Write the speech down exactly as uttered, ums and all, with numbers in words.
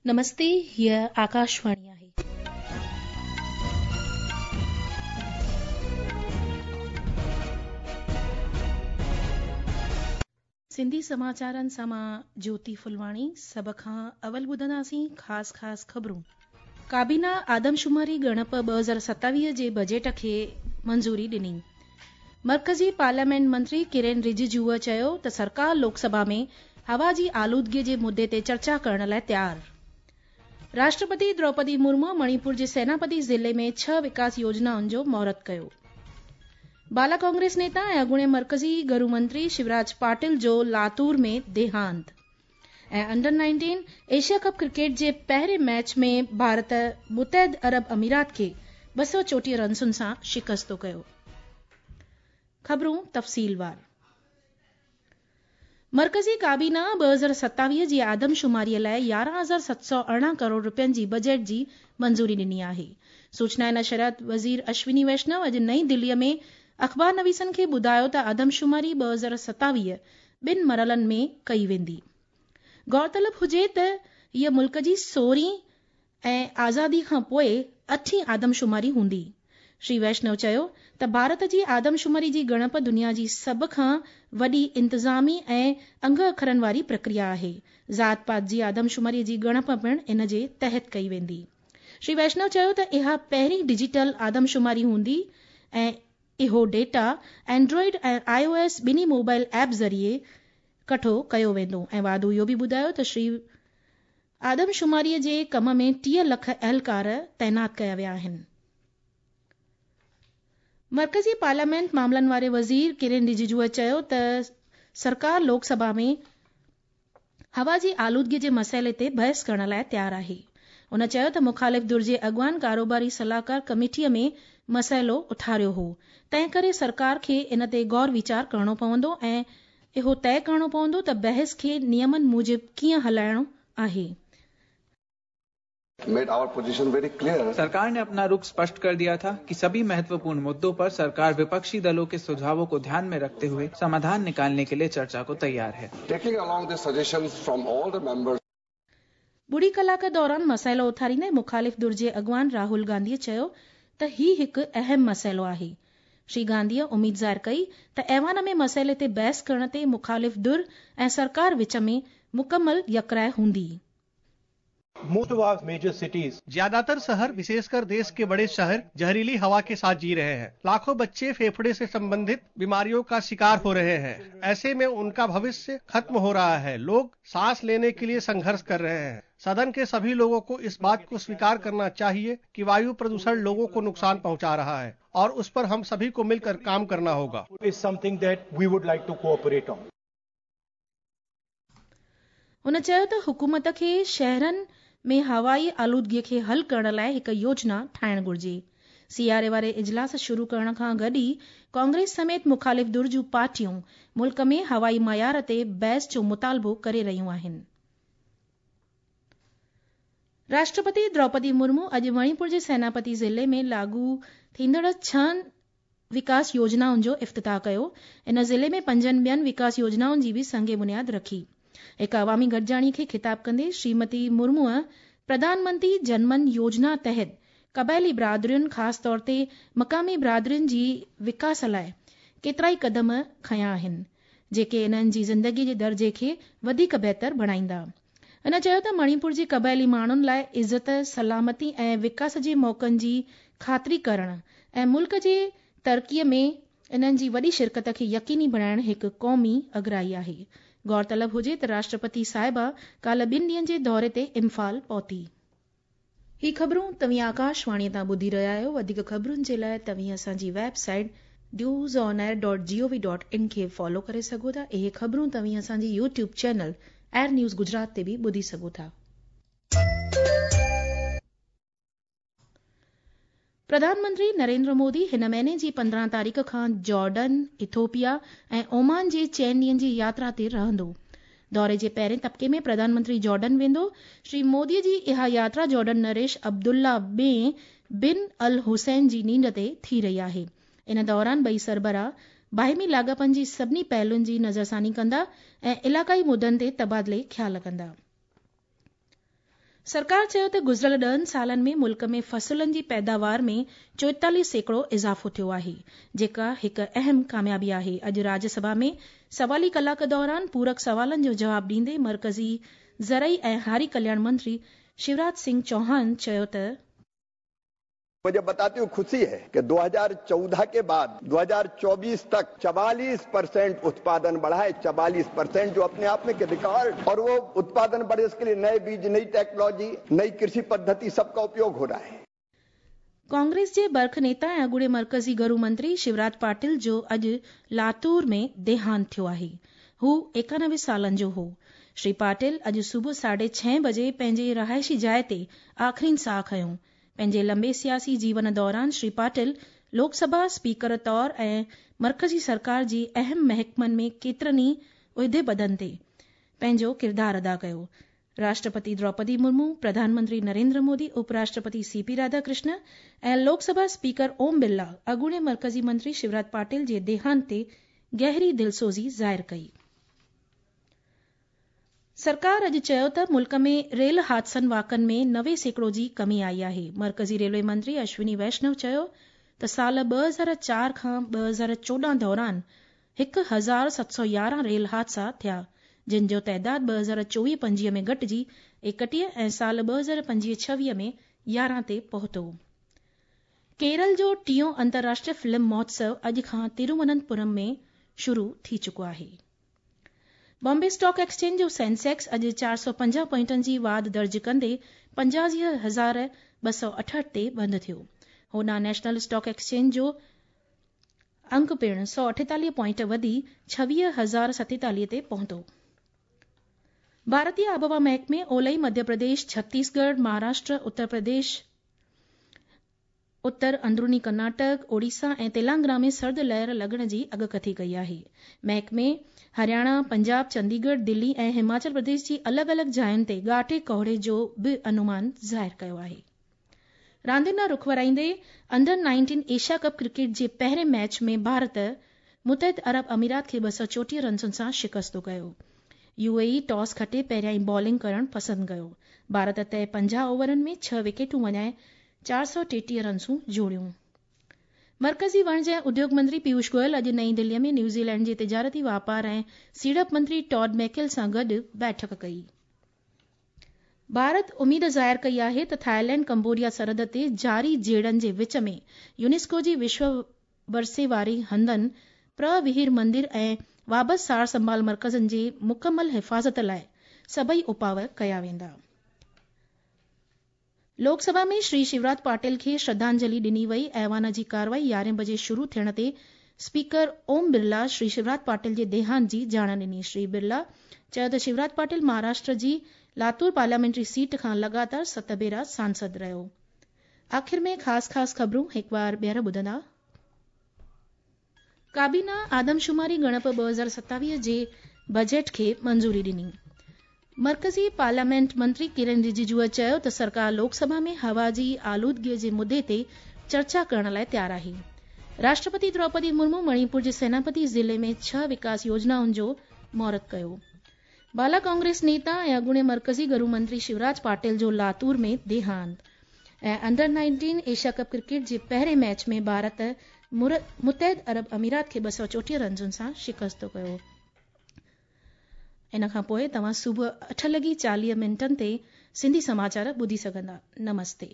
नमस्ते, हीअ आकाशवाणी आहे. सिंधी समाचारनि सां मां ज्योति फुलवाणी. सभ खां अवल ॿुधंदासीं ख़ासि ख़ासि ख़बरूं. काबीना आदमशुमारी ॻणप ॿ हज़ार सतावीह जे बजट खे मंज़ूरी ॾिनी. मर्कज़ी पार्लियामेंट मंत्री किरेन रिजिजूअ चयो त सरकार लोकसभा में हवा जी आलूदगीअ जे मुद्दे ते चर्चा करण लाइ तयार. राष्ट्रपति द्रौपदी मुर्मू मणिपुर जे सेनापति ज़िले में छह विकास योजनाउनि जो मुहूर्त कयो. बाला कांग्रेस नेता ऐं अॻूणे मर्कज़ी घरू मंत्री शिवराज पाटिल जो लातूर में देहांत. ऐं under nineteen Asia cup cricket जे पहिरें मैच में भारत मुतहद अरब अमीरात खे ॿ सौ चोटीह रनसुनि सां शिकस्तो कयो. ख़बरूं तफ़सीलवार. मर्कज़ी काबीना ॿ हज़ार सतावीह जी आदमशुमारीअ लाइ यारहं हज़ार सत सौ अरिड़हं करोड़ रुपयनि जी बजट जी मंज़ूरी ॾिनी आहे. सूचना ऐं नशरियात वज़ीर अश्विनी वैष्णव अॼु नई दिल्लीअ में अख़बार नवीसनि खे ॿुधायो त आदमशुमारी ॿ हज़ार सतावीह ॿिनि मरहलनि में कई वेंदी. गौरतलब हुजे त हीअ मुल्क जी सोरहीं ऐं आज़ादी खां पोइ अठीं आदमशुमारी हूंदी. श्री वैष्णव चयो त भारत जी आदमशुमारी जी ॻणप दुनिया जी सभ खां वॾी इंतिज़ामी ऐं अंग अखरनि वारी प्रक्रिया आहे. ज़ात पात जी आदमशुमारी जी ॻणप पिणु इन जे तहत कई वेंदी. श्री वैष्णव चयो त इहा पहिरीं डिजिटल आदमशुमारी हूंदी ऐं इहो डेटा एंड्रॉइड ऐं आई ओ एस ॿिन्ही मोबाइल ऐप ज़रिए कठो कयो वेंदो. ऐं वाधू इहो बि ॿुधायो त श्री आदमशुमारीअ जे कम में टीह लख अहलकार तैनात कया विया आहिनि. मर्कज़ी पार्लियामेंट मामलनि वारे वज़ीर किरेन रिजिजूअ चयो त सरकार लोकसभा में हवा जी आलूदगीअ जे मसइले ते बहस करण लाइ तयार आहे. हुन चयो त मुखालिफ़ धुर जे अॻवान कारोबारी सलाहकार कमेटीअ में मसइलो उथारियो हो, तंहिं करे सरकार खे इन ते गौर वीचार करणो पवंदो ऐं इहो तय करणो पवंदो त बहस खे नियमनि मूजिबि कीअं हलाइणो आहे. Made our position very clear. सरकार ने अपना रुख स्पष्ट कर दिया था कि सभी महत्वपूर्ण मुद्दों पर सरकार विपक्षी दलों के सुझावों को ध्यान में रखते हुए समाधान निकालने के लिए चर्चा को तैयार है. Taking along the suggestions from all the members. ॿुड़ी कलाक दौरान मसइलो उथारींदे मुखालिफ़ धुर जे अॻवान राहुल गांधीअ चयो त ही हिकु अहम मसइलो आहे. श्री गांधीअ उमेद ज़ाहिर कई त ऐवान में मसइले ते बहस करण ते मुखालिफ़ धुर ऐं सरकार विच में मुकमल यकराय हूंदी. Most of our major cities, ज्यादातर शहर, विशेषकर देश के बड़े शहर, जहरीली हवा के साथ जी रहे हैं. लाखों बच्चे फेफड़े से संबंधित बीमारियों का शिकार हो रहे हैं. ऐसे में उनका भविष्य खत्म हो रहा है. लोग सांस लेने के लिए संघर्ष कर रहे हैं. सदन के सभी लोगों को इस बात को स्वीकार करना चाहिए कि वायु प्रदूषण लोगों को नुकसान पहुंचा रहा है और उस पर हम सभी को मिलकर काम करना होगा. is something that we would like to cooperate on. हुन चयो त हुकूमत खे शहरनि में हवाई आलूदगीअ खे हल करण लाइ हिकु योजना ठाहिणु घुर्जे. सियारे वारे इजलास शुरू करण खां गॾु ई कांग्रेस समेत मुखालिफ़ धुर जूं पार्टियूं मुल्क में हवाई मयार ते बहस जो मुतालबो करे रहियूं आहिनि. राष्ट्रपति द्रौपदी मुर्मू अॼु मणिपुर जे सेनापति ज़िले में लागू थींदड़ छहनि विकास योजनाउनि जो इफ़्तिताह कयो. इन ज़िले में पंजनि ॿियनि विकास योजनाउनि जी बि संग बुनियाद रखी. हिकु अवामी गॾिजाणी खे ख़िताब कंदे श्रीमती मुर्मूअ प्रधानमंत्री जनमन योजना तहत क़बाइली बिरादरियुनि, ख़ासि तौर ते मक़ामी बिरादरियुनि जी विकास लाइ केतिरा ई क़दम खयां आहिनि, जेके इन्हनि जी ज़िंदगीअ जे दर्जे खे वधीक बहितर बणाईंदा. हिन चयो त मणिपुर जे क़बाइली माण्हुनि लाइ इज़त, सलामती ऐं विकास जे मौक़नि जी ख़ातिरी करण ऐं मुल्क जे तरक़ीअ में इन्हनि जी वॾी शिरकत खे यकीनी बणाइण हिकु क़ौमी अगराई आहे. गौरतलब हुजे त राष्ट्रपति साहिबा काल्ह ॿिनि ॾींहनि जे दौरे ते इम्फाल पहुती. ही ख़बरूं तव्हीं आकाशवाणीअ तां ॿुधी रहिया आहियो. वधीक ख़बरुनि जे लाइ तव्हीं असांजी website news on air dot G O V dot in खे फॉलो करे सघो था. इहे ख़बरूं तव्हीं असांजी YouTube channel air news Gujarat ते बि ॿुधी सघो था. प्रधानमंत्री नरेंद्र मोदी हिन महीने जी पंद्रहं तारीख़ खां जॉर्डन, इथोपिया ऐं ओमान जे चइनि ॾींहनि जी यात्रा ते रहंदो. दौरे जे पहिरें तबके में प्रधानमंत्री जॉर्डन वेंदो. श्री मोदीअ जी इहा यात्रा जॉर्डन नरेश अब्दुल्ला ॿिए बिन अल हुसैन जी नींड ते थी रही आहे. इन दौरान ॿई सरबराह बाहिमी लाॻापनि जी सभिनी पहलुनि जी नज़रसानी कंदा ऐं इलाइक़ाई मुद्दनि ते तबादिले ख़्याल कंदा। सरकार चयो त गुज़िरियल ॾहनि सालनि में मुल्क में फसलनि जी पैदावार में चोएतालीह सैकड़ो इज़ाफ़ो थियो आहे, जेका हिकु अहम कामयाबी आहे। अॼु राज्यसभा में सवाली कलाक दौरान पूरक सवालनि जो जवाब ॾींदे मर्कज़ी ज़रई ऐं हारी कल्याण मंत्री शिवराज सिंह चौहान चयो त मुझे बताते हुए खुशी है कि दो हज़ार चौदह के बाद दो हज़ार चौबीस तक चवालीस परसेंट उत्पादन बढ़ा है, चवालीस परसेंट जो अपने आप में रिकॉर्ड, और वो उत्पादन बढ़े इसके लिए नए बीज, नई टेक्नोलॉजी, नई कृषि पद्धति सबका उपयोग हो रहा है। कांग्रेस जे बर्ख नेता ऐं अॻूणे मर्कज़ी घरू मंत्री शिवराज पाटिल जो अॼु लातूर में देहांत थियो आहे। हू एकानवे सालनि जो हो। श्री पाटिल अॼु सुबुह साढे छह बजे पंहिंजे रिहाइशी जाइ ते आख़िरीन साह खयों। पंहिंजे लंबे सियासी जीवन दौरान श्री पाटिल लोकसभा स्पीकर तौर ऐं मर्कज़ी सरकार जी अहम महकमनि में केतिरनि ई उहिदे पदनि ते पंहिंजो किरदारु अदा कयो। राष्ट्रपति द्रौपदी मुर्मू, प्रधानमंत्री नरेंद्र मोदी, उपराष्ट्रपति सीपी राधाकृष्ण ऐं लोकसभा स्पीकर ओम बिरला अॻूणे मर्कज़ी मंत्री शिवराज पाटिल जे देहांत ते गहरी दिलसोज़ी ज़ाहिर कई। सरकार अॼु चयो त मुल्क में रेल हादसनि वाक़नि में नवे सैकड़ो जी कमी आई आहे। मर्कज़ी रेलवे मंत्री अश्विनी वैष्णव चयो त साल ॿ हज़ार चार खां ॿ हज़ार चोॾहं दौरान हिकु हज़ार सत सौ यारहं रेल हादसा थिया, जिन जो तादाद ॿ हज़ार चोवीह पंजवीह में घटिजी एकटीह ऐं साल ॿ हज़ार पंजवीह छवीह में यारहं ते पहुतो। केरल जो टियों अंतर्राष्ट्रीय फिल्म महोत्सव अॼु खां तिरुवनंतपुरम में शुरू थी चुको आहे। बॉम्बे स्टॉक एक्सचेंज जो सेंसेक्स अॼु चारि सौ पंजाह पॉइंटनि जी वाध दर्ज कंदे पंजासी हज़ार ॿ सौ अठहठि ते बंदि थियो। होॾां नेशनल स्टॉक एक्सचेंज जो अंक पिणु सौ अठेतालीह पॉइंट वधी छवीह हज़ार सतेतालीह ते पहुतो। भारतीय आबहवा महकमे ओलई मध्य प्रदेश, छत्तीसगढ़, महाराष्ट्र, उत्तर प्रदेश, उत्तर अंदरूनी कर्नाटक, ओडिशा ऐं तेलंगाना में सर्द लहर लॻण जी अॻकथी कई आहे। महकमे हरियाणा, पंजाब, चंडीगढ़, दिल्ली ऐं हिमाचल प्रदेश जी अलॻि अलॻि जायुनि ते ॻाढ़े कोहरे जो बि अनुमान ज़ाहिर कयो आहे। रांदियुनि ॾांहुं रुख वराईंदे under nineteen Asia cup cricket जे पहिरें मैच में भारत मुतहिद अरब अमीरात खे ॿ सौ चोटीह रनसुनि सां शिकस्तो कयो। यूएई टॉस खटे पहिरियां बॉलिंग करणु पसंदि कयो। भारत तय पंजाह ओवरनि में छह विकेटूं वञाए चारि सौ टेटीह रनसूं जोड़ियूं। मर्कज़ी वणिज ऐं उद्योग मंत्री पीयूष गोयल अॼु नई दिल्लीअ में न्यूज़ीलैंड जे तिजारती वापार ऐं सीड़प मंत्री टॉड मैकेल सां गॾु बैठक कई। भारत उम्मीद ज़ाहिर कई आहे त थाईलैंड कंबोडिया सरहद ते जारी झेड़नि जे विच में यूनेस्को जी विश्व वरसे वारे हंधनि प्रविहीर मंदिर ऐं वाबस सार संभाल मर्कज़नि जी मुकमल हिफ़ाज़त लाइ सभई उपाव कया वेंदा। लोकसभा में श्री शिवराज पाटिल खे श्रद्धांजलि ॾिनी वई। ऐवान जी कार्रवाई यारहें बजे शुरू थियण ते स्पीकर ओम बिरला श्री शिवराज पाटिल जे देहांत जी ॼाण ॾिनी। श्री बिरला चयो त शिवराज पाटिल महाराष्ट्र जी लातूर पार्लियामेंट्री सीट खां लगातार सत भेरा सांसद रहियो। आख़िर में ख़ासि ख़ासि ख़बरूं हिकु बार ॿीहर ॿुधंदा। काबीना आदमशुमारी ॻणप ॿ हज़ार सतावीह जे बजट खे मंज़ूरी ॾिनी। मर्कज़ी पार्लियामेंट मंत्री किरण रिजिजूअ चयो त सरकार लोकसभा में हवा जी आलूदगीअ जे मुद्दे ते चर्चा करण लाइ तयारु आहे। राष्ट्रपति द्रौपदी मुर्मू मणिपुर जे सेनापति ज़िले में छह विकास योजनाउनि जो मुहूर्त कयो। बाला कांग्रेस नेता ऐं अॻूणे मर्कज़ी घरू मंत्री शिवराज पाटिल जो लातूर में देहांत। ऐं under nineteen Asia cup cricket जे पहिरें मैच में भारत मुतहिद अरब अमीरात खे ॿ सौ चोटीह रनसुनि सां शिकस्तो कयो। इन खां पोइ तव्हां सुबुह अठ लॻी चालीह मिंटनि ते सिंधी समाचार ॿुधी सघंदा। नमस्ते।